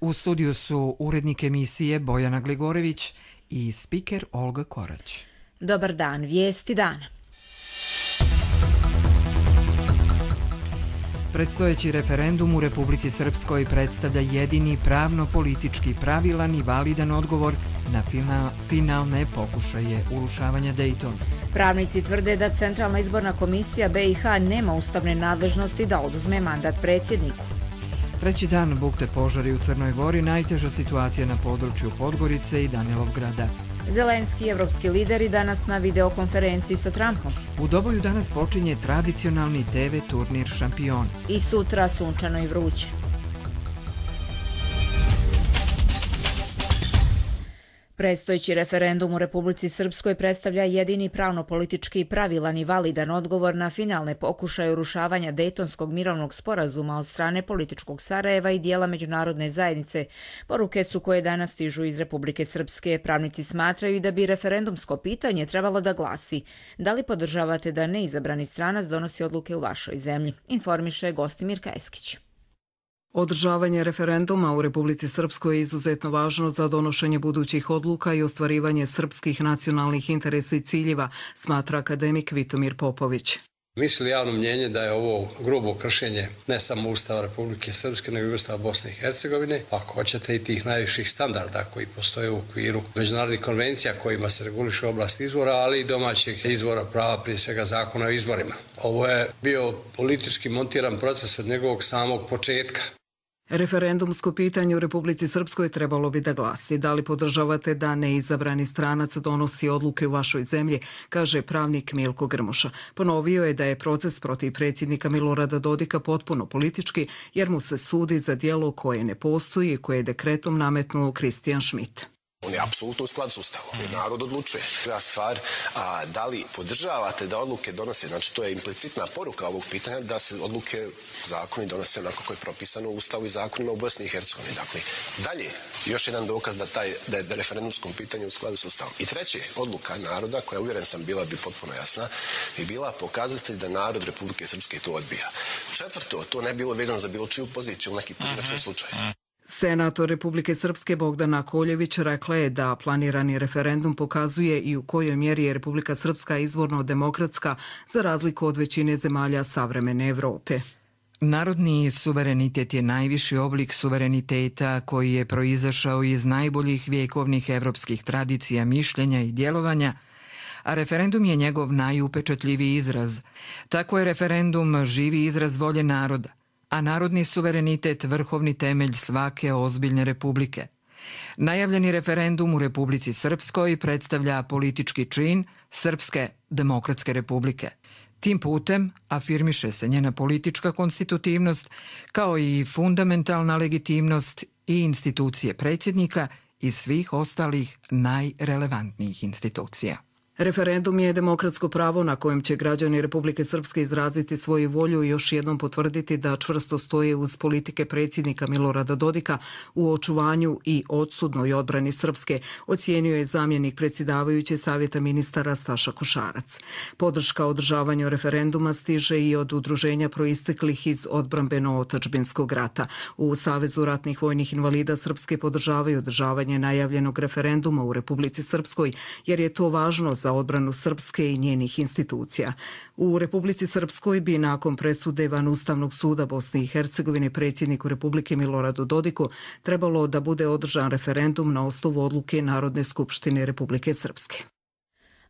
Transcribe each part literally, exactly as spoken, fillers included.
U studiju su urednik emisije Bojana Gligorević i spiker Olga Korać. Dobar dan, vijesti dana. Predstojeći referendum u Republici Srpskoj predstavlja jedini pravno-politički pravilan i validan odgovor na finalne pokušaje urušavanja Dejtona. Pravnici tvrde da Centralna izborna komisija B i H nema ustavne nadležnosti da oduzme mandat predsjedniku. Treći dan bukte požari u Crnoj Gori, najteža situacija na području Podgorice i Danilovgrada. Zelenski i evropski lideri danas na videokonferenciji sa Trumpom. U Doboju danas počinje tradicionalni te ve turnir Šampion. I sutra sunčano i vruće. Predstojeći referendum u Republici Srpskoj predstavlja jedini pravno-politički pravilan i validan odgovor na finalne pokušaje urušavanja Dejtonskog mirovnog sporazuma od strane političkog Sarajeva i dijela međunarodne zajednice. Poruke su koje danas stižu iz Republike Srpske. Pravnici smatraju da bi referendumsko pitanje trebalo da glasi: da li podržavate da neizabrani stranac donosi odluke u vašoj zemlji? Informiše Gostimir Kajeskić. Održavanje referenduma u Republici Srpskoj je izuzetno važno za donošenje budućih odluka i ostvarivanje srpskih nacionalnih interesa i ciljeva, smatra akademik Vitomir Popović. Misli javno mnjenje da je ovo grubo kršenje ne samo Ustava Republike Srpske, nego i Ustava Bosne i Hercegovine, ako hoćete i tih najviših standarda koji postoje u okviru međunarodnih konvencija kojima se reguliše oblast izbora, ali i domaćih izbora prava, prije svega zakona o izborima. Ovo je bio politički montiran proces od njegovog samog početka. Referendumsko pitanje u Republici Srpskoj trebalo bi da glasi: da li podržavate da neizabrani stranac donosi odluke u vašoj zemlji, kaže pravnik Milko Grmoša. Ponovio je da je proces protiv predsjednika Milorada Dodika potpuno politički, jer mu se sudi za djelo koje ne postoji i koje je dekretom nametnuo Kristijan Šmit. On je apsolutno u skladu s Ustavom. Narod odlučuje. Prva stvar, a da li podržavate da odluke donose, znači to je implicitna poruka ovog pitanja, da se odluke, zakoni donose onako koje je propisano u Ustavu i zakonima u Bosni i Hercegovini. Dakle, dalje, još jedan dokaz da, taj, da je referendumskom pitanju u skladu s Ustavom. I treće, odluka naroda, koja uvjeren sam bila bi potpuno jasna, bi bila pokazatelj da narod Republike Srpske to odbija. Četvrto, to ne bilo vezano za bilo čiju poziciju u neki pojedinačni slučaj. Senator Republike Srpske Bogdana Koljević rekla je da planirani referendum pokazuje i u kojoj mjeri je Republika Srpska izvorno demokratska za razliku od većine zemalja savremene Evrope. Narodni suverenitet je najviši oblik suvereniteta koji je proizašao iz najboljih vjekovnih evropskih tradicija, mišljenja i djelovanja, a referendum je njegov najupečatljiviji izraz. Tako je referendum živi izraz volje naroda, a narodni suverenitet vrhovni temelj svake ozbiljne republike. Najavljeni referendum u Republici Srpskoj predstavlja politički čin Srpske demokratske republike. Tim putem afirmiše se njena politička konstitutivnost kao i fundamentalna legitimnost i institucije predsjednika i svih ostalih najrelevantnijih institucija. Referendum je demokratsko pravo na kojem će građani Republike Srpske izraziti svoju volju i još jednom potvrditi da čvrsto stoje uz politike predsjednika Milorada Dodika u očuvanju i odsudnoj odbrani Srpske, ocijenio je zamjenik predsjedavajuće Savjeta ministara Staša Košarac. Podrška održavanju referenduma stiže i od udruženja proisteklih iz odbrambeno-otadžbinskog rata. U Savezu ratnih vojnih invalida Srpske podržavaju održavanje najavljenog referenduma u Republici Srpskoj, jer je to važno za za odbranu Srpske i njenih institucija. U Republici Srpskoj bi nakon presude van Ustavnog suda Bosne i Hercegovine predsjedniku Republike Miloradu Dodiku trebalo da bude održan referendum na osnovu odluke Narodne skupštine Republike Srpske.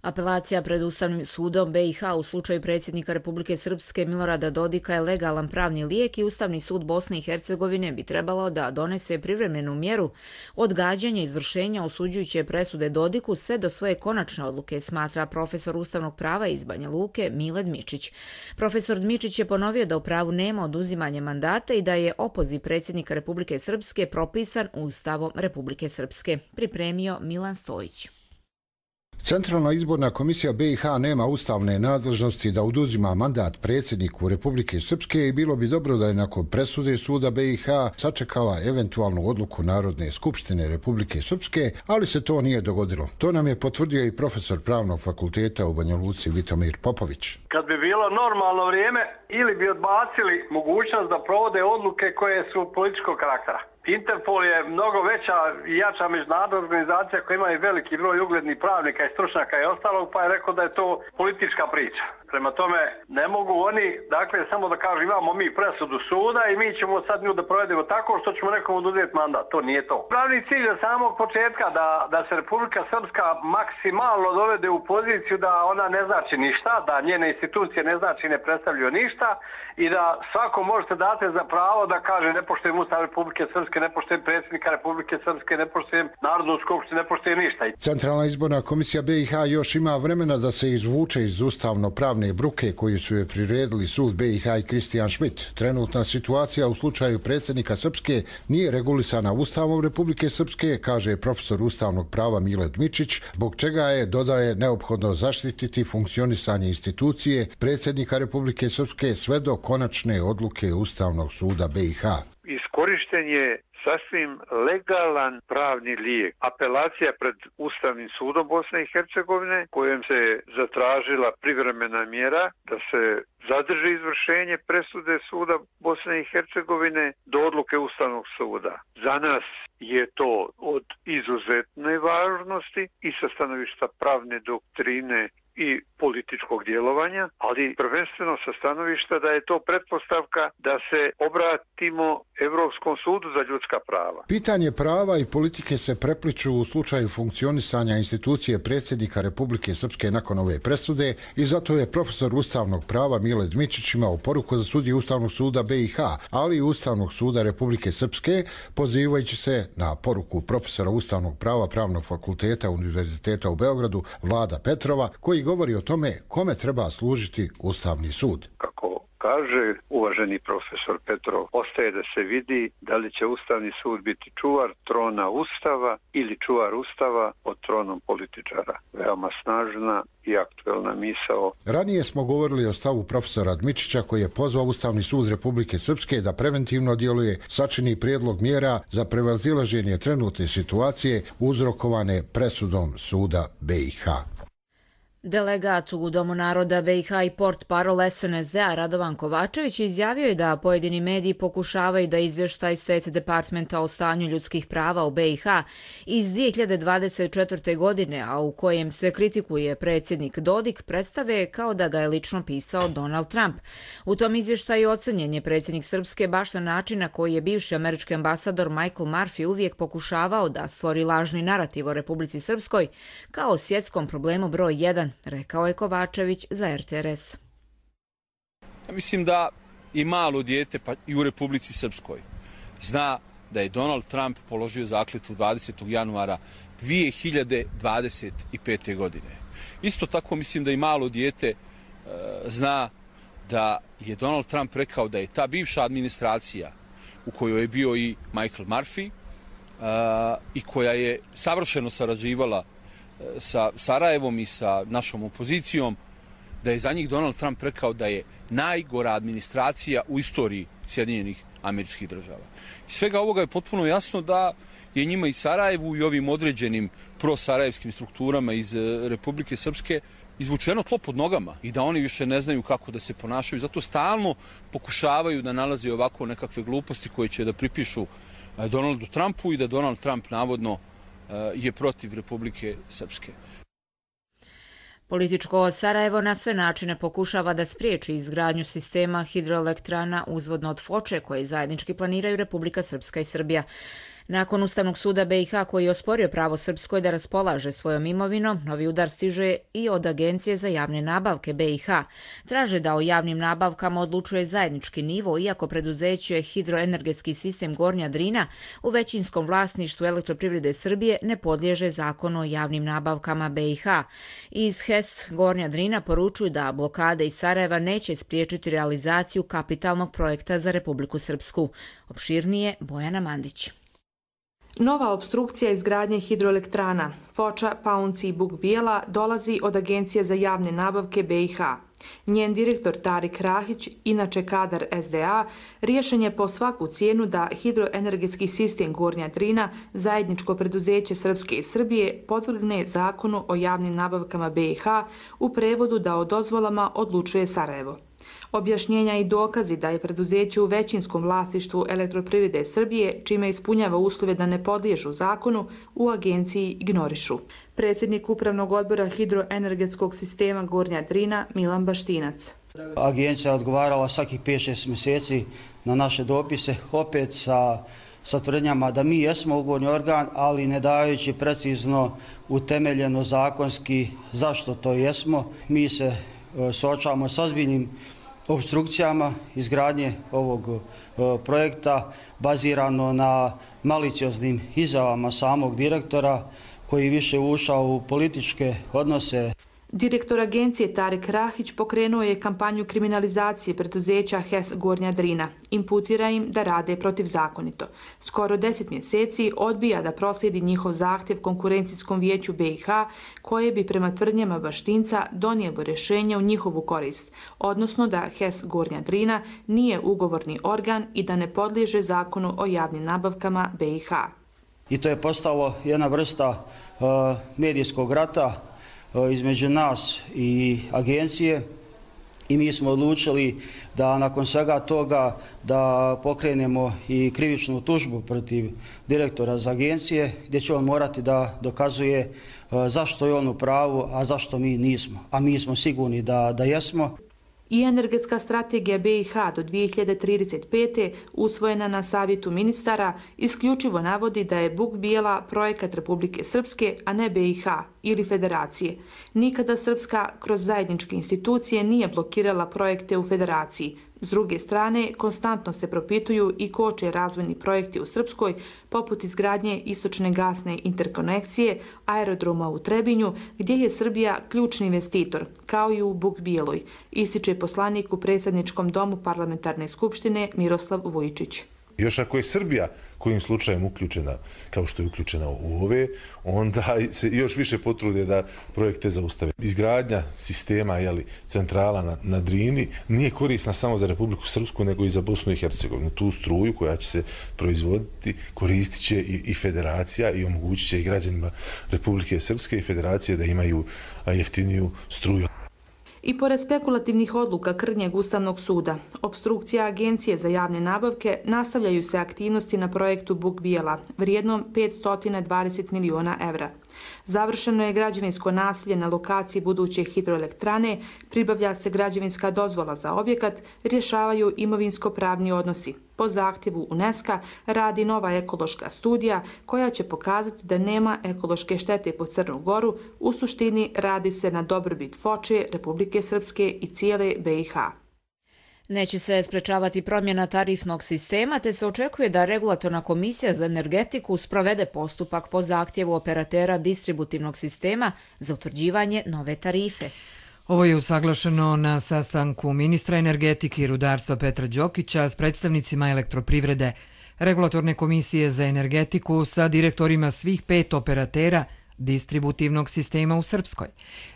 Apelacija pred Ustavnim sudom B i H u slučaju predsjednika Republike Srpske Milorada Dodika je legalan pravni lijek i Ustavni sud Bosne i Hercegovine bi trebalo da donese privremenu mjeru odgađanja izvršenja osuđujuće presude Dodiku sve do svoje konačne odluke, smatra profesor ustavnog prava iz Banja Luke Mile Dmičić. Profesor Dmičić je ponovio da u pravu nema oduzimanja mandata i da je opoziv predsjednika Republike Srpske propisan Ustavom Republike Srpske. Pripremio Milan Stojić. Centralna izborna komisija B i H nema ustavne nadležnosti da oduzima mandat predsjedniku Republike Srpske i bilo bi dobro da je nakon presude suda B i H sačekala eventualnu odluku Narodne skupštine Republike Srpske, ali se to nije dogodilo. To nam je potvrdio i profesor pravnog fakulteta u Banja Luci Vitomir Popović. Kad bi bilo normalno vrijeme, ili bi odbacili mogućnost da provode odluke koje su političkog karaktera. Interpol je mnogo veća i jača međunarodna organizacija koja ima i veliki broj uglednih pravnika i stručnjaka i ostalog, pa je rekao da je to politička priča. Prema tome, ne mogu oni, dakle, samo da kažu imamo mi presudu suda i mi ćemo sad nju da provedemo tako što ćemo nekom oduzeti mandat. To nije to. Pravni cilj je samog početka da, da se Republika Srpska maksimalno dovede u poziciju da ona ne znači ništa, da njene institucije ne znači ne predstavljaju ništa i da svako možete dati za pravo da kaže ne poštujem Ustav Republike Srpske, ne poštujem predsjednika Republike Srpske, ne poštujem Narodnu skupštinu, ne poštujem ništa. Centralna izborna komisija B i H još ima vremena da se izvuče iz ustavno-pravne bruke koju su je priredili sud B i H i Kristijan Schmidt. Trenutna situacija u slučaju predsjednika Srpske nije regulisana Ustavom Republike Srpske, kaže profesor ustavnog prava Mile Dmičić, zbog čega je, dodaje, neophodno zaštititi funkcionisanje institucije predsjednika Republike Srpske sve do konačne odluke Ustavnog suda B i H. Iskorišten je sasvim legalan pravni lijek. Apelacija pred Ustavnim sudom Bosne i Hercegovine kojom se zatražila privremena mjera da se zadrži izvršenje presude suda Bosne i Hercegovine do odluke Ustavnog suda. Za nas je to od izuzetne važnosti i sa stanovišta pravne doktrine i političkog djelovanja, ali prvenstveno sa stanovišta da je to pretpostavka da se obratimo Europskom sudu za ljudska prava. Pitanje prava i politike se prepliču u slučaju funkcionisanja institucije predsjednika Republike Srpske nakon ove presude i zato je profesor ustavnog prava Mile Dmičić imao poruku za sudije Ustavnog suda B i H, ali i Ustavnog suda Republike Srpske, pozivajući se na poruku profesora ustavnog prava Pravnog fakulteta Univerziteta u Beogradu Vlada Petrova, koji govori o tome kome treba služiti Ustavni sud. Kako kaže uvaženi profesor Petrov, ostaje da se vidi da li će Ustavni sud biti čuvar trona Ustava ili čuvar Ustava od tronom političara. Veoma snažna i aktuelna misao. Ranije smo govorili o stavu profesora Dmičića koji je pozvao Ustavni sud Republike Srpske da preventivno djeluje, sačini prijedlog mjera za prevazilaženje trenutne situacije uzrokovane presudom suda B i H. Delegat u Domu naroda B i H i portparol S N S D-a Radovan Kovačević izjavio je da pojedini mediji pokušavaju da izvještaj State Departmenta o stanju ljudskih prava u B i H iz dvije hiljade dvadeset četvrte. godine, a u kojem se kritikuje predsjednik Dodik, predstave kao da ga je lično pisao Donald Trump. U tom izvještaju ocenjen je predsjednik Srpske baš na način na koji je bivši američki ambasador Michael Murphy uvijek pokušavao da stvori lažni narativ o Republici Srpskoj kao svjetskom problemu broj jedan, rekao je Kovačević za R T R S. Ja mislim da i malo dijete, pa i u Republici Srpskoj, zna da je Donald Trump položio zakletvu dvadesetog januara dvije hiljade dvadeset pete. godine. Isto tako mislim da i malo dijete e, zna da je Donald Trump rekao da je ta bivša administracija u kojoj je bio i Michael Murphy e, i koja je savršeno sarađivala sa Sarajevom i sa našom opozicijom, da je za njih Donald Trump rekao da je najgora administracija u istoriji Sjedinjenih Američkih Država. Iz svega ovoga je potpuno jasno da je njima i Sarajevu i ovim određenim prosarajevskim strukturama iz Republike Srpske izvučeno tlo pod nogama i da oni više ne znaju kako da se ponašaju. Zato stalno pokušavaju da nalaze ovako nekakve gluposti koje će da pripišu Donaldu Trumpu i da Donald Trump navodno je protiv Republike Srpske. Političko Sarajevo na sve načine pokušava da spriječi izgradnju sistema hidroelektrana uzvodno od Foče koje zajednički planiraju Republika Srpska i Srbija. Nakon Ustavnog suda B i H koji je osporio pravo Srpskoj da raspolaže svojom imovinom, novi udar stiže i od Agencije za javne nabavke B i H. Traže da o javnim nabavkama odlučuje zajednički nivo, iako preduzeće Hidroenergetski sistem Gornja Drina u većinskom vlasništvu Elektroprivrede Srbije ne podliježe zakonu o javnim nabavkama B i H. Iz H E S Gornja Drina poručuju da blokade iz Sarajeva neće spriječiti realizaciju kapitalnog projekta za Republiku Srpsku. Opširnije Bojana Mandić. Nova obstrukcija izgradnje hidroelektrana Foča, Paunci i Buk Bijela dolazi od Agencije za javne nabavke B i H. Njen direktor Tarik Rahić, inače kadar S D A, riješen je po svaku cijenu da hidroenergetski sistem Gornja Drina, zajedničko preduzeće Srpske i Srbije, podvrgne zakonu o javnim nabavkama B i H, u prevodu da o dozvolama odlučuje Sarajevo. Objašnjenja i dokazi da je preduzeće u većinskom vlasništvu Elektroprivrede Srbije, čime ispunjava uslove da ne podliježu zakonu, u agenciji ignorišu. Predsjednik Upravnog odbora hidroenergetskog sistema Gornja Drina Milan Baštinac. Agencija je odgovarala svakih pet šest mjeseci na naše dopise, opet sa, sa tvrdnjama da mi jesmo ugovorni organ, ali ne dajući precizno utemeljeno zakonski zašto to jesmo. Mi se e, suočavamo sa ozbiljnim obstrukcijama izgradnje ovog e, projekta bazirano na malicioznim izjavama samog direktora koji više ušao u političke odnose. Direktor agencije Tarik Rahić pokrenuo je kampanju kriminalizacije preduzeća H E S Gornja Drina. Imputira im da rade protivzakonito. Skoro deset mjeseci odbija da proslijedi njihov zahtjev Konkurencijskom vijeću B i H, koje bi prema tvrdnjama Baštinca donijelo rješenje u njihovu korist, odnosno da H E S Gornja Drina nije ugovorni organ i da ne podliježe zakonu o javnim nabavkama B i H. I to je postalo jedna vrsta uh, medijskog rata između nas i agencije i mi smo odlučili da nakon svega toga da pokrenemo i krivičnu tužbu protiv direktora za agencije gdje će on morati da dokazuje zašto je on u pravu, a zašto mi nismo. A mi smo sigurni da, da jesmo. I energetska strategija B i H do dvije hiljade trideset pete. usvojena na savjetu ministara isključivo navodi da je Buk Bijela projekat Republike Srpske, a ne B i H ili Federacije. Nikada Srpska kroz zajedničke institucije nije blokirala projekte u Federaciji. S druge strane, konstantno se propituju i koče razvojni projekti u Srpskoj, poput izgradnje istočne gasne interkonekcije, aerodroma u Trebinju, gdje je Srbija ključni investitor, kao i u Buk Bijeloj, ističe poslanik u predsjedničkom domu parlamentarne skupštine Miroslav Vujčić. Još ako je Srbija kojim slučajem uključena, kao što je uključena u ove, onda se još više potrude da projekte zaustave. Izgradnja sistema, jeli, centrala na, na Drini nije korisna samo za Republiku Srpsku, nego i za Bosnu i Hercegovinu. Tu struju koja će se proizvoditi koristit će i, i federacija i omogućit će i građanima Republike Srpske i federacije da imaju jeftiniju struju. I pored spekulativnih odluka krnjeg Ustavnog suda, obstrukcija Agencije za javne nabavke, nastavljaju se aktivnosti na projektu Buk Bijela, vrijednom petsto dvadeset miliona evra. Završeno je građevinsko naselje na lokaciji buduće hidroelektrane, pribavlja se građevinska dozvola za objekat, rješavaju imovinsko-pravni odnosi. Po zahtjevu UNESCO radi nova ekološka studija koja će pokazati da nema ekološke štete po Crnu Goru. U suštini radi se na dobrobit Foče, Republike Srpske i cijele B i H. Neće se sprečavati promjena tarifnog sistema, te se očekuje da Regulatorna komisija za energetiku sprovede postupak po zahtjevu operatera distributivnog sistema za utvrđivanje nove tarife. Ovo je usaglašeno na sastanku ministra energetike i rudarstva Petra Đokića s predstavnicima Elektroprivrede, Regulatorne komisije za energetiku sa direktorima svih pet operatera distributivnog sistema u Srpskoj.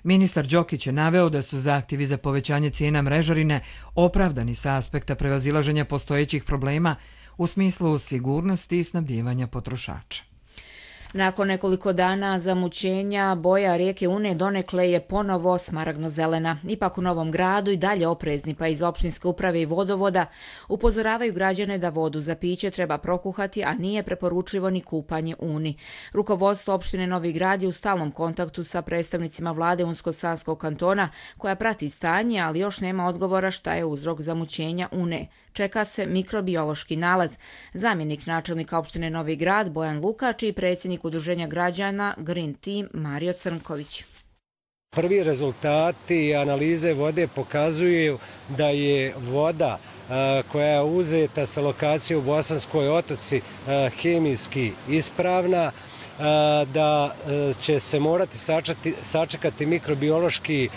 Ministar Đokić je naveo da su zahtjevi za povećanje cijena mrežarine opravdani sa aspekta prevazilaženja postojećih problema u smislu sigurnosti i snabdijevanja potrošača. Nakon nekoliko dana zamućenja, boja rijeke Une donekle je ponovo smaragno-zelena. Ipak u Novom Gradu i dalje oprezni, pa iz opštinske uprave i vodovoda upozoravaju građane da vodu za piće treba prokuhati, a nije preporučljivo ni kupanje u Uni. Rukovodstvo opštine Novi Grad je u stalnom kontaktu sa predstavnicima vlade Unsko-Sanskog kantona, koja prati stanje, ali još nema odgovora šta je uzrok zamućenja Une. Čeka se mikrobiološki nalaz. Zamjenik načelnika opštine Novi Grad Bojan Lukač i predsjednik Udruženja građana Green Team Mario Crnković. Prvi rezultati analize vode pokazuju da je voda koja je uzeta sa lokacije u Bosanskoj Otoci hemijski ispravna, da će se morati sačekati, sačekati mikrobiološki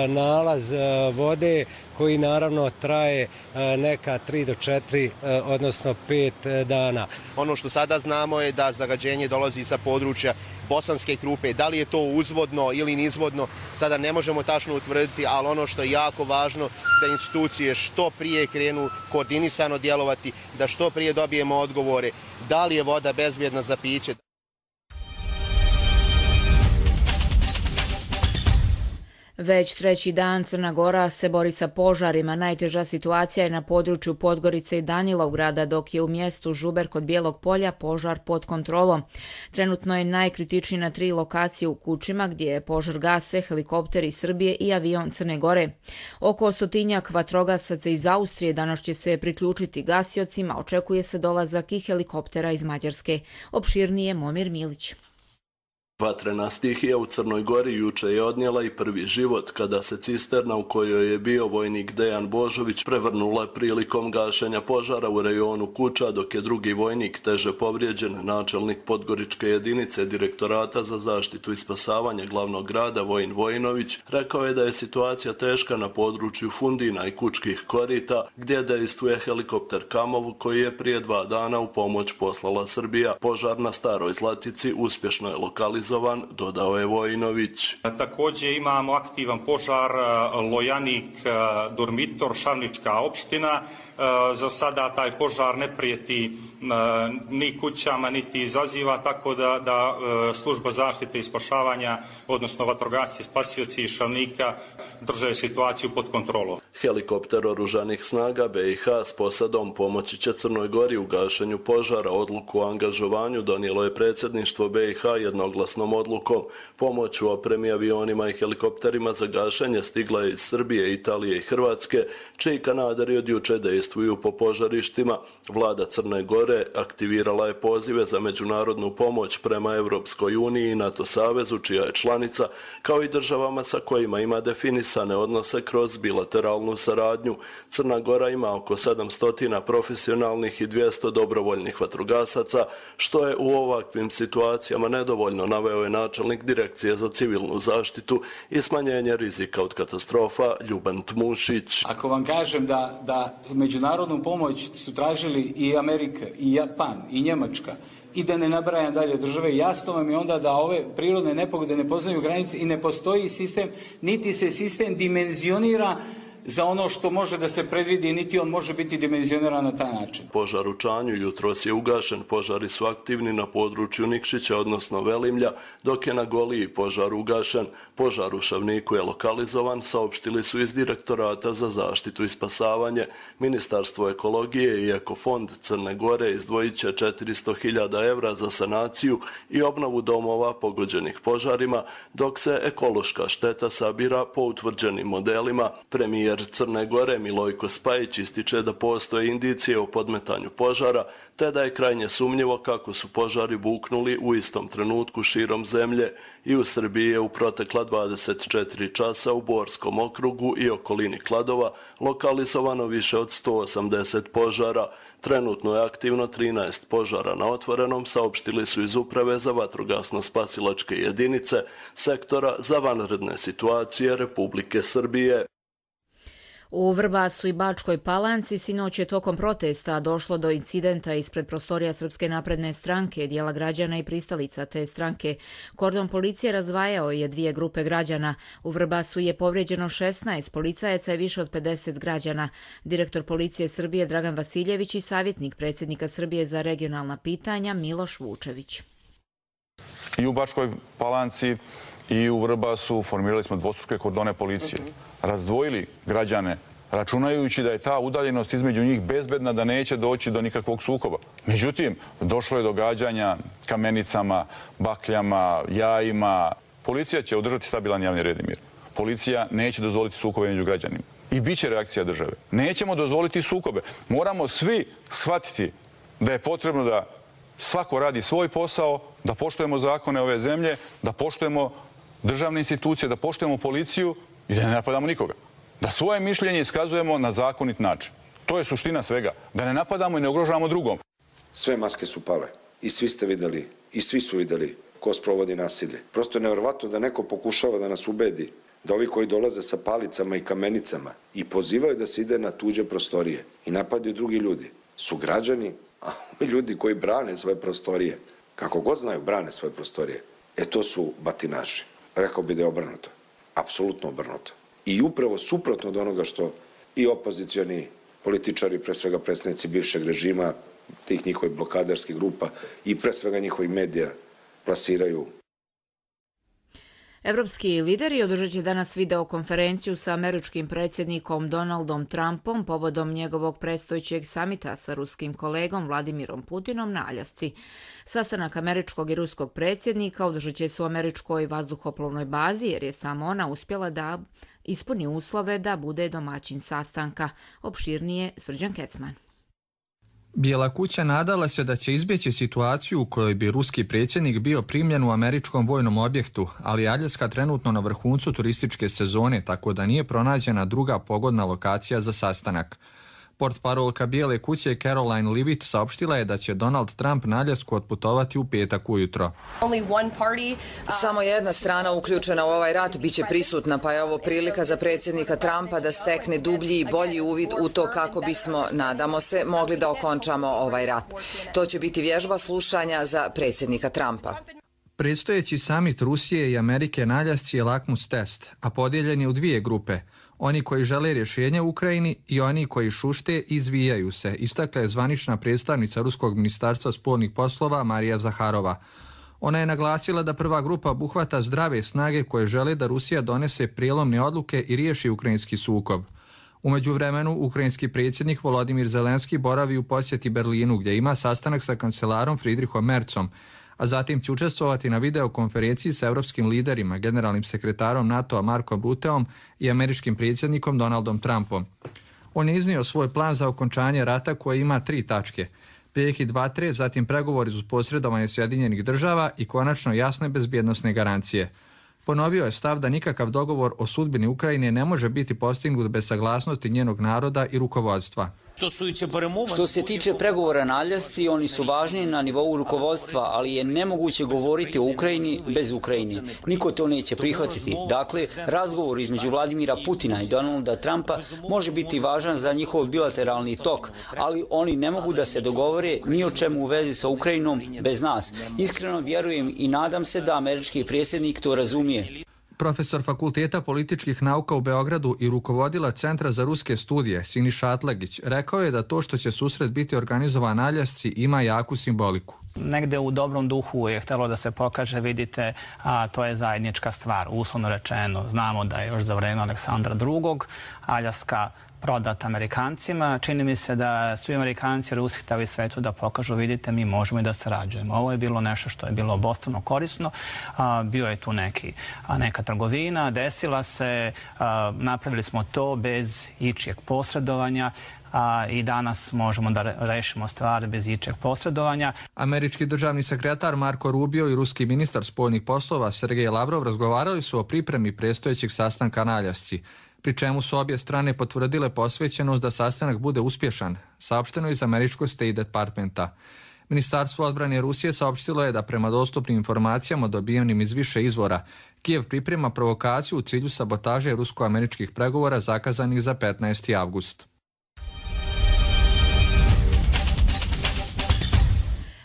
nalaz vode koji naravno traje neka tri do četiri, odnosno pet dana. Ono što sada znamo je da zagađenje dolazi sa područja Bosanske Krupe. Da li je to uzvodno ili nizvodno, sada ne možemo tačno utvrditi, ali ono što je jako važno da institucije što prije krenu koordinisano djelovati, da što prije dobijemo odgovore da li je voda bezbjedna za piće. Već treći dan Crna Gora se bori sa požarima. Najteža situacija je na području Podgorice i Danilovgrada, dok je u mjestu Žuber kod Bijelog polja požar pod kontrolom. Trenutno je najkritičniji na tri lokacije u Kučima, gdje požar gase helikopter iz Srbije i avion Crne Gore. Oko stotinjak vatrogasaca iz Austrije danas će se priključiti gasiocima, očekuje se dolazak i helikoptera iz Mađarske. Opširnije Momir Milić. Vatrena stihija u Crnoj Gori juče je odnijela i prvi život kada se cisterna u kojoj je bio vojnik Dejan Božović prevrnula prilikom gašenja požara u rejonu Kuča, dok je drugi vojnik teže povrijeđen. Načelnik Podgoričke jedinice Direktorata za zaštitu i spasavanje glavnog grada Vojin Vojinović rekao je da je situacija teška na području Fundina i Kučkih korita, gdje dejstvuje helikopter Kamov koji je prije dva dana u pomoć poslala Srbija. Požar na Staroj Zlatici uspješno je lokalizovan, dodao je Vojinović. Također imamo aktivan požar Lojanik, Durmitor, Šavnička opština. Za sada taj požar ne prijeti ni kućama, niti izaziva, tako da, da služba zaštite i spašavanja, odnosno vatrogasci, spasioci iz Šavnika drže situaciju pod kontrolom. Helikopter oružanih snaga B i H s posadom pomoći će Crnoj Gori u gašenju požara. Odluku o angažovanju donijelo je predsjedništvo B i H jednoglasnom odlukom. Pomoć u opremi, avionima i helikopterima za gašenje stigla je iz Srbije, Italije i Hrvatske, čiji kanaderi od juče dejstvuju po požarištima. Vlada Crne Gore aktivirala je pozive za međunarodnu pomoć prema Evropskoj uniji i NATO savezu, čija je članica, kao i državama sa kojima ima definisane odnose kroz bilateralnu saradnju. Crna Gora ima oko sedamsto profesionalnih i dvjesto dobrovoljnih vatrogasaca, što je u ovakvim situacijama nedovoljno, naveo je načelnik Direkcije za civilnu zaštitu i smanjenje rizika od katastrofa Ljuban Tmušić. Ako vam kažem da, da međunarodnu pomoć su tražili i Amerika, i Japan, i Njemačka, i da ne nabrajam dalje države, jasno vam je onda da ove prirodne nepogode ne poznaju granice i ne postoji sistem, niti se sistem dimenzionira za ono što može da se predvidi, niti on može biti dimenzioniran na taj način. Požar u Čanju jutros je ugašen. Požari su aktivni na području Nikšića, odnosno Velimlja, dok je na Goliji požar ugašen. Požar u Šavniku je lokalizovan, saopštili su iz Direktorata za zaštitu i spasavanje. Ministarstvo ekologije i Ekofond Crne Gore izdvojit će četiristo hiljada evra za sanaciju i obnovu domova pogođenih požarima, dok se ekološka šteta sabira po utvrđenim modelima. Premijer Crne Gore Milojko Spajić ističe da postoje indicije o podmetanju požara, te da je krajnje sumnjivo kako su požari buknuli u istom trenutku širom zemlje. I u Srbiji je u protekla dvadeset četiri časa u Borskom okrugu i okolini Kladova lokalizovano više od sto osamdeset požara. Trenutno je aktivno trinaest požara na otvorenom, saopštili su iz Uprave za vatrogasno-spasilačke jedinice Sektora za vanredne situacije Republike Srbije. U Vrbasu i Bačkoj Palanci sinoć je tokom protesta došlo do incidenta ispred prostorija Srpske napredne stranke, dijela građana i pristalica te stranke. Kordon policije razdvajao je dvije grupe građana. U Vrbasu je povrijeđeno šesnaest policajaca i više od pedeset građana. Direktor policije Srbije Dragan Vasiljević i savjetnik predsjednika Srbije za regionalna pitanja Miloš Vučević. I u Bačkoj Palanci i u Vrbasu formirali smo dvostruke kordone policije. Razdvojili građane, računajući da je ta udaljenost između njih bezbedna, da neće doći do nikakvog sukoba. Međutim, došlo je do gađanja kamenicama, bakljama, jajima. Policija će održati stabilan javni red i mir. Policija neće dozvoliti sukobe među građanima. I bit će reakcija države. Nećemo dozvoliti sukobe. Moramo svi shvatiti da je potrebno da svako radi svoj posao, da poštujemo zakone ove zemlje, da poštujemo državne institucije, da poštujemo policiju i da ne napadamo nikoga. Da svoje mišljenje iskazujemo na zakonit način. To je suština svega. Da ne napadamo i ne ugrožavamo drugom. Sve maske su pale i svi ste videli i svi su videli ko sprovodi nasilje. Prosto je nevjerovatno da neko pokušava da nas ubedi da ovi koji dolaze sa palicama i kamenicama i pozivaju da se ide na tuđe prostorije i napadaju drugi ljudi su građani, a ovi ljudi koji brane svoje prostorije, kako god znaju, brane svoje prostorije, e to su batinaši. Rekao bi da je obrnuto. Apsolutno obrnuto. I upravo suprotno od onoga što i opozicioni političari, pre svega predstavnici bivšeg režima, tih njihovih blokaderskih grupa i pre svega njihovih medija plasiraju. Evropski lideri održat će danas videokonferenciju sa američkim predsjednikom Donaldom Trumpom povodom njegovog predstojećeg samita sa ruskim kolegom Vladimirom Putinom na Aljasci. Sastanak američkog i ruskog predsjednika održat će se u američkoj vazduhoplovnoj bazi jer je samo ona uspjela da ispuni uslove da bude domaćin sastanka. Opširnije Srđan Kecman. Bijela kuća nadala se da će izbjeći situaciju u kojoj bi ruski predsjednik bio primljen u američkom vojnom objektu, ali Aljaska trenutno na vrhuncu turističke sezone, tako da nije pronađena druga pogodna lokacija za sastanak. Portparolka Bijele kuće Caroline Leavitt saopštila je da će Donald Trump na Aljasku otputovati u petak ujutro. Samo jedna strana uključena u ovaj rat biće prisutna, pa je ovo prilika za predsjednika Trumpa da stekne dublji i bolji uvid u to kako bismo, nadamo se, mogli da okončamo ovaj rat. To će biti vježba slušanja za predsjednika Trumpa. Predstojeći samit Rusije i Amerike na Aljasci je lakmus test, a podijeljen je u dvije grupe. Oni koji žele rješenje u Ukrajini i oni koji šušte i izvijaju se, istakla je zvanična predstavnica Ruskog ministarstva spoljnih poslova Marija Zaharova. Ona je naglasila da prva grupa obuhvata zdrave snage koje žele da Rusija donese prijelomne odluke i riješi ukrajinski sukob. U međuvremenu, ukrajinski predsjednik Volodimir Zelenski boravi u posjeti Berlinu gdje ima sastanak sa kancelarom Friedrichom Merzom, a zatim će učestvovati na videokonferenciji sa evropskim liderima, generalnim sekretarom NATO-a Markom Ruteom i američkim predsjednikom Donaldom Trumpom. On je iznio svoj plan za okončanje rata koji ima tri tačke. Prekid vatre, zatim pregovori uz posredovanje Sjedinjenih država i konačno jasne bezbjednosne garancije. Ponovio je stav da nikakav dogovor o sudbini Ukrajine ne može biti postignut bez saglasnosti njenog naroda i rukovodstva. Što se tiče pregovora na Aljasci, oni su važni na nivou rukovodstva, ali je nemoguće govoriti o Ukrajini bez Ukrajine. Niko to neće prihvatiti. Dakle, razgovor između Vladimira Putina i Donalda Trumpa može biti važan za njihov bilateralni tok, ali oni ne mogu da se dogovore ni o čemu u vezi sa Ukrajinom bez nas. Iskreno vjerujem i nadam se da američki predsjednik to razumije. Profesor Fakulteta političkih nauka u Beogradu i rukovodila Centra za ruske studije Siniša Atlagić rekao je da to što će susret biti organizovan na Aljasci ima jaku simboliku. Negde u dobrom duhu je htjelo da se pokaže, vidite, a to je zajednička stvar, uslovno rečeno. Znamo da je još za vreme Aleksandra drugog Aljaska prodat Amerikancima. Čini mi se da su i Amerikanci i Rusi htjeli svetu da pokažu, vidite, mi možemo i da sarađujemo. Ovo je bilo nešto što je bilo obostrano korisno. A, bio je tu neki, a, neka trgovina, desila se, a, napravili smo to bez ičijeg posredovanja. A, i danas možemo da rešimo stvari bez ičeg posredovanja. Američki državni sekretar Marko Rubio i ruski ministar spoljnih poslova Sergej Lavrov razgovarali su o pripremi predstojećeg sastanka na Aljasci, pri čemu su obje strane potvrdile posvećenost da sastanak bude uspješan, saopšteno iz američkog State Departmenta. Ministarstvo odbrane Rusije saopštilo je da prema dostupnim informacijama dobijenim iz više izvora, Kijev priprema provokaciju u cilju sabotaže rusko-američkih pregovora zakazanih za petnaesti avgust.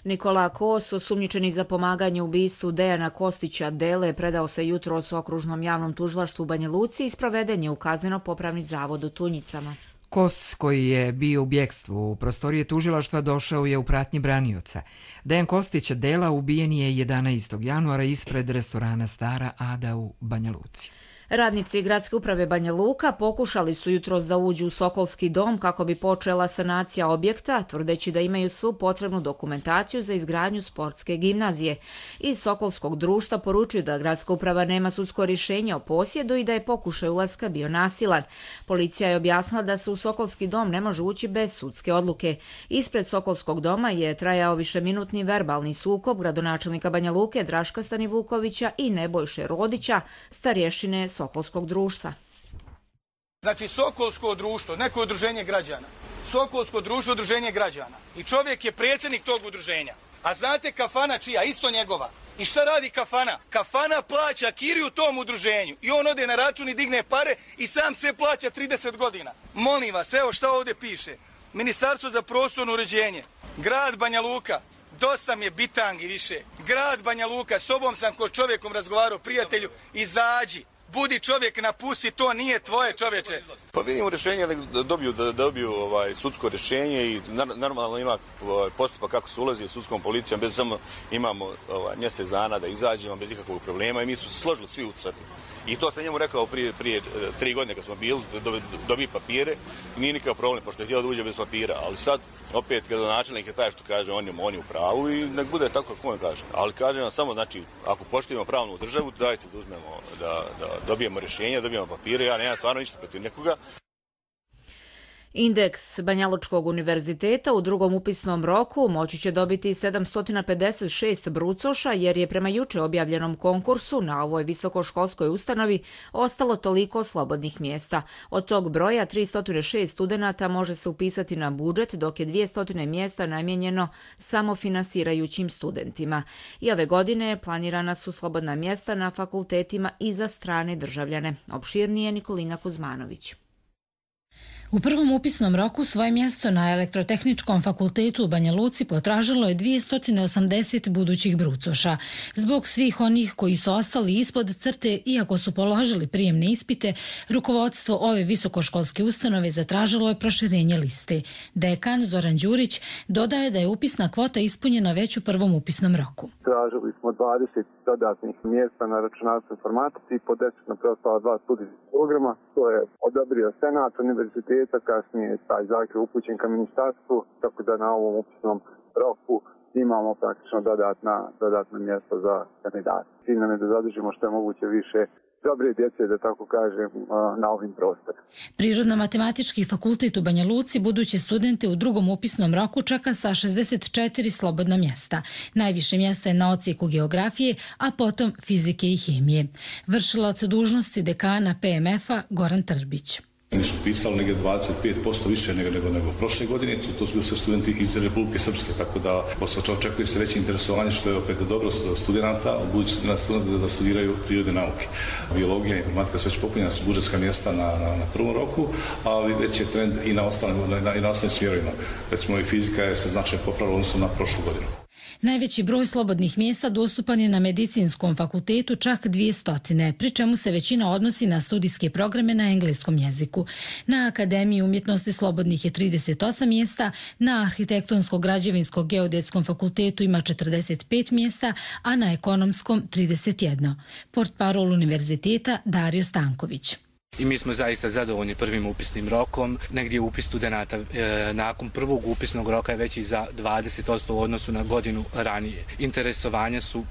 Nikola Kos, osumnjičeni za pomaganje u ubistvu Dejana Kostića Dele, predao se jutros u okružnom javnom tužilaštvu u Banja Luci i sproveden je u kazneno-popravni zavod u Tunjicama. Kos, koji je bio u bjekstvu u prostorije tužilaštva, došao je u pratnji branioca. Dejan Kostić Dela ubijen je jedanaestog januara ispred restorana Stara Ada u Banja Luci. Radnici Gradske uprave Banja Luka pokušali su jutros da uđu u Sokolski dom kako bi počela sanacija objekta, tvrdeći da imaju svu potrebnu dokumentaciju za izgradnju sportske gimnazije. Iz Sokolskog društva poručuju da Gradska uprava nema sudsko rješenje o posjedu i da je pokušaj ulaska bio nasilan. Policija je objasnila da se u Sokolski dom ne može ući bez sudske odluke. Ispred Sokolskog doma je trajao višeminutni verbalni sukob gradonačelnika Banja Luke Draška Stanivukovića i Nebojše Rodića, starješine Sokolskog društva. Znači Sokolsko društvo, neko udruženje građana, Sokolsko društvo, udruženje građana i čovjek je predsjednik tog udruženja. A znate kafana čija? Isto njegova. I šta radi kafana? Kafana plaća kiriju tom udruženju i on ode na račun i digne pare i sam sve plaća trideset godina. Molim vas, evo šta ovdje piše. Ministarstvo za prostorno uređenje, grad Banja Luka, dosta mi je bitangi više. Grad Banja Luka, s tobom sam ko čovjekom razgovarao, prijatelju, izađi. Budi čovjek, napusti, to nije tvoje, čovječe. Pa vidimo rješenje da dobiju, da dobiju ovaj, sudsko rješenje i normalno ima ovaj, postupak kako se ulazi sudskom policijom, bez samo imamo ovaj, mjesec dana da izađemo bez ikakvog problema i mi su se složili svi ucati. I to sam njemu rekao prije, prije tri godine kad smo bili, dobije papire i nije nikakav problem, pošto je htjela da uđe bez papira, ali sad opet kada načelnik je taj što kaže on je, on je u pravu i nek bude tako kako on kaže. Ali kažem vam samo, znači, ako poštujemo pravnu državu, dajte da uzmemo, da, da dobijemo rješenje, dobijemo papire, ja nemam stvarno ništa protiv nekoga. Indeks Banjalučkog univerziteta u drugom upisnom roku moći će dobiti sedamsto pedeset šest brucoša jer je prema juče objavljenom konkursu na ovoj visokoškolskoj ustanovi ostalo toliko slobodnih mjesta. Od tog broja tristo šest studenata može se upisati na budžet, dok je dvjesto mjesta namijenjeno samofinansirajućim studentima. I ove godine planirana su slobodna mjesta na fakultetima i za strane državljane. Opširnije Nikolina Kuzmanović. U prvom upisnom roku svoje mjesto na Elektrotehničkom fakultetu u Banja Luci potražilo je dvjesto osamdeset budućih brucoša. Zbog svih onih koji su ostali ispod crte, iako su položili prijemne ispite, rukovodstvo ove visokoškolske ustanove zatražilo je proširenje liste. Dekan Zoran Đurić dodao je da je upisna kvota ispunjena već u prvom upisnom roku. Tražili smo dvadeset dodatnih mjesta na računarstvu informatici i po deset na preostala dva studijska programa. To je odobrio Senat univerziteta, kasnije je taj zahtjev upućen ka ministarstvu, tako da na ovom upisnom roku imamo praktično dodatna, dodatna mjesta za kandidate. Cilj nam je da zadržimo što je moguće više dobre djece, da tako kažem, na ovim prostorima. Prirodno-matematički fakultet u Banja Luci buduće studente u drugom upisnom roku čeka sa šezdeset četiri slobodna mjesta. Najviše mjesta je na odsjeku geografije, a potom fizike i hemije. Vršilac dužnosti dekana P M F-a Goran Trbić. Oni su pisali negdje dvadeset pet posto više nego, nego, nego prošle godine, to su bili sve studenti iz Republike Srpske, tako da očekuje se veće interesovanje, što je opet dobro studenta, budući studenta da studiraju prirodne nauke. Biologija i informatika su već popunjena su budžetska mjesta na, na, na prvom roku, ali već je trend i na ostalim, na, i na ostalim smjerovima. Recimo i fizika je se značajno popravila odnosno na prošlu godinu. Najveći broj slobodnih mjesta dostupan je na Medicinskom fakultetu, čak dvjesto, pri čemu se većina odnosi na studijske programe na engleskom jeziku. Na Akademiji umjetnosti slobodnih je trideset osam mjesta, na Arhitektonsko-građevinsko geodetskom fakultetu ima četrdeset pet mjesta, a na Ekonomskom trideset jedan. Portparol univerziteta Dario Stanković. I mi smo zaista zadovoljni prvim upisnim rokom. Negdje upis studenata e, nakon prvog upisnog roka je veći za dvadeset posto u odnosu na godinu ranije. Interesovanja su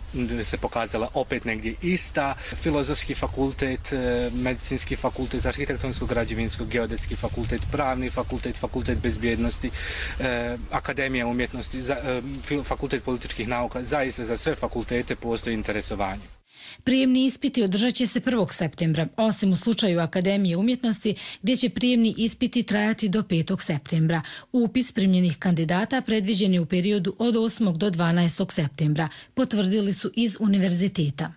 se pokazala opet negdje ista. Filozofski fakultet, e, medicinski fakultet, arhitektonsko-građevinsko, geodetski fakultet, pravni fakultet, fakultet bezbjednosti, e, akademija umjetnosti, za, e, fakultet političkih nauka. Zaista za sve fakultete postoji interesovanje. Prijemni ispiti održat će se prvog septembra, osim u slučaju Akademije umjetnosti, gdje će prijemni ispiti trajati do petog septembra. Upis primljenih kandidata predviđen je u periodu od osmog do dvanaestog septembra, potvrdili su iz univerziteta.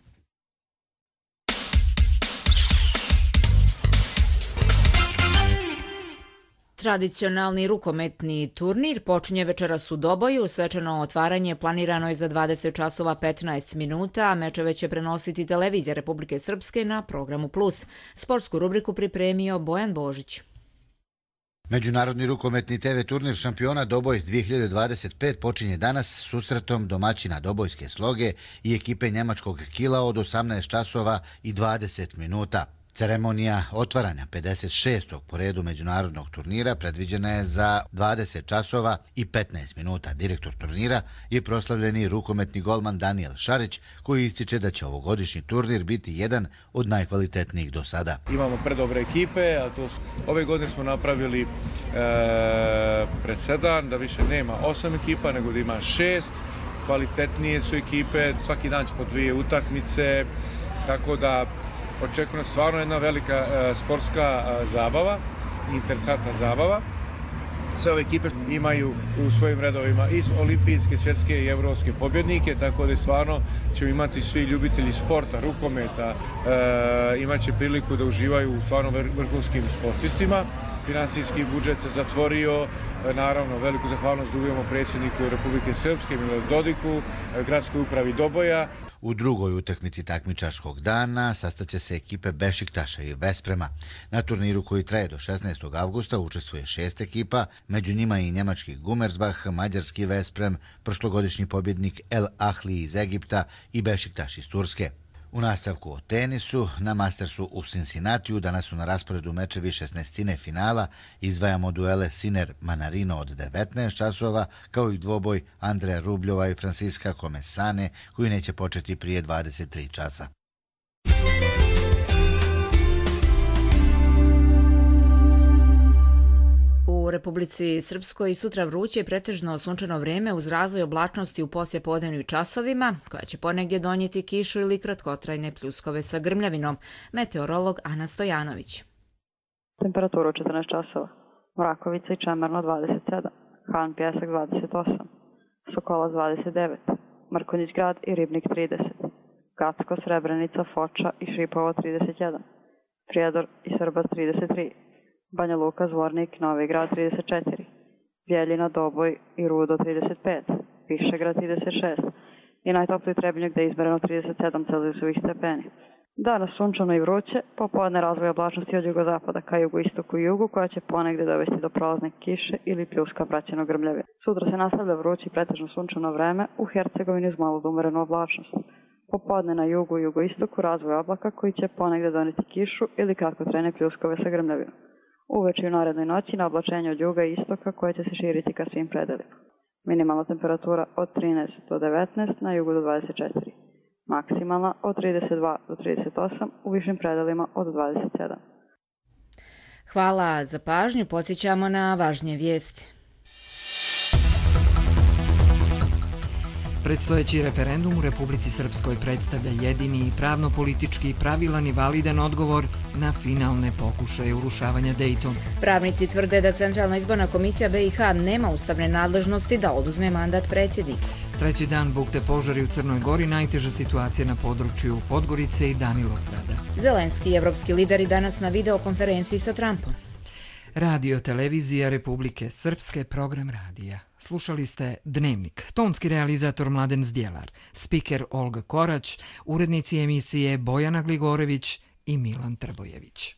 Tradicionalni rukometni turnir počinje večeras u Doboju. Svečano otvaranje planirano je za dvadeset časova petnaest minuta, a mečeve će prenositi televizija Republike Srpske na programu Plus. Sportsku rubriku pripremio Bojan Božić. Međunarodni rukometni te ve turnir šampiona Doboj dvije hiljade dvadeset pet počinje danas susretom domaćina Dobojske Sloge i ekipe njemačkog Kila od osamnaest časova i dvadeset minuta. Ceremonija otvaranja pedeset šestog po redu međunarodnog turnira predviđena je za dvadeset časova i petnaest minuta. Direktor turnira je proslavljeni rukometni golman Daniel Šarić, koji ističe da će ovogodišnji turnir biti jedan od najkvalitetnijih do sada. Imamo predobre ekipe, a to ove godine smo napravili e, presedan da više nema osam ekipa, nego da ima šest. Kvalitetnije su ekipe, svaki dan će po dvije utakmice, tako da očekuje stvarno jedna velika e, sportska e, zabava, interesantna zabava. Sve ove ekipe imaju u svojim redovima i olimpijske, svjetske i evropske pobjednike, tako da je stvarno ćemo imati svi ljubitelji sporta, rukometa, e, imat će priliku da uživaju u stvarno vrhunskim sportistima. Finansijski budžet se zatvorio, naravno veliku zahvalnost dugujemo predsjedniku Republike Srpske Miloradu Dodiku, gradskoj upravi Doboja. U drugoj utakmici takmičarskog dana sastaće se ekipe Bešiktaša i Vesprema. Na turniru koji traje do šesnaestog avgusta učestvuje šest ekipa, među njima i njemački Gumersbach, mađarski Vesprem, prošlogodišnji pobjednik El Ahli iz Egipta i Bešiktaš iz Turske. U nastavku o tenisu, na Mastersu u Cincinnatiju danas su na rasporedu mečevi šesnaestine finala, izdvajamo duele Sinner Manarino od devetnaest časova, kao i dvoboj Andreja Rubljova i Francisca Comesane, koji neće početi prije dvadeset tri časa. U Republici Srpskoj sutra vruće i pretežno sunčano vrijeme uz razvoj oblačnosti u poslijepodnevnim časovima, koja će ponegdje donijeti kišu ili kratkotrajne pljuskove sa grmljavinom. Meteorolog Ana Stojanović. Temperatura četrnaest časova. Mrakovica i Čemerno dvadeset sedam, Han Pjesak dvadeset osam, Sokolac dvadeset devet, Mrkonjić grad i Ribnik trideset, Gacko, Srebrenica, Foča i Šipovo trideset jedan, Prijedor i Srbac trideset tri, Banja Luka, Zvornik, Novi grad trideset četiri, Bjeljina, Doboj i Rudo trideset pet, Višegrad trideset šest i najtopliji Trebinje gdje je izmereno trideset sedam celzijusovih stepeni. Danas sunčano i vruće, popodne razvoj oblačnosti od jugozapada ka jugoistoku i jugu, koja će ponegdje dovesti do prolazne kiše ili pljuska praćeno grmljave. Sutra se nastavlja vruće i pretežno sunčano vreme, u Hercegovini uz malo umerenu oblačnost. Popodne na jugu i jugoistoku razvoj oblaka koji će ponegdje doneti kišu ili kratkotrajne pljuskove sa grmljavinom. Uveče i u narednoj noći na oblačenje od juga i istoka koje će se širiti ka svim predelima. Minimalna temperatura od trinaest do devetnaest, na jugu do dvadeset četiri. Maksimalna od trideset dva do trideset osam, u višim predelima od dvadeset sedam. Hvala za pažnju, podsjećamo na važnije vijesti. Predstojeći referendum u Republici Srpskoj predstavlja jedini pravno-politički pravilan i validan odgovor na finalne pokušaje urušavanja Dejtona. Pravnici tvrde da Centralna izborna komisija B i H nema ustavne nadležnosti da oduzme mandat predsjednika. Treći dan bukte požari u Crnoj Gori, najteža situacija na području Podgorice i Danilovgrada. Zelenski i evropski lideri danas na videokonferenciji sa Trumpom. Radio Televizija Republike Srpske, program radija. Slušali ste Dnevnik, tonski realizator Mladen Zdjelar, spiker Olga Korać, urednici emisije Bojana Gligorević i Milan Trbojević.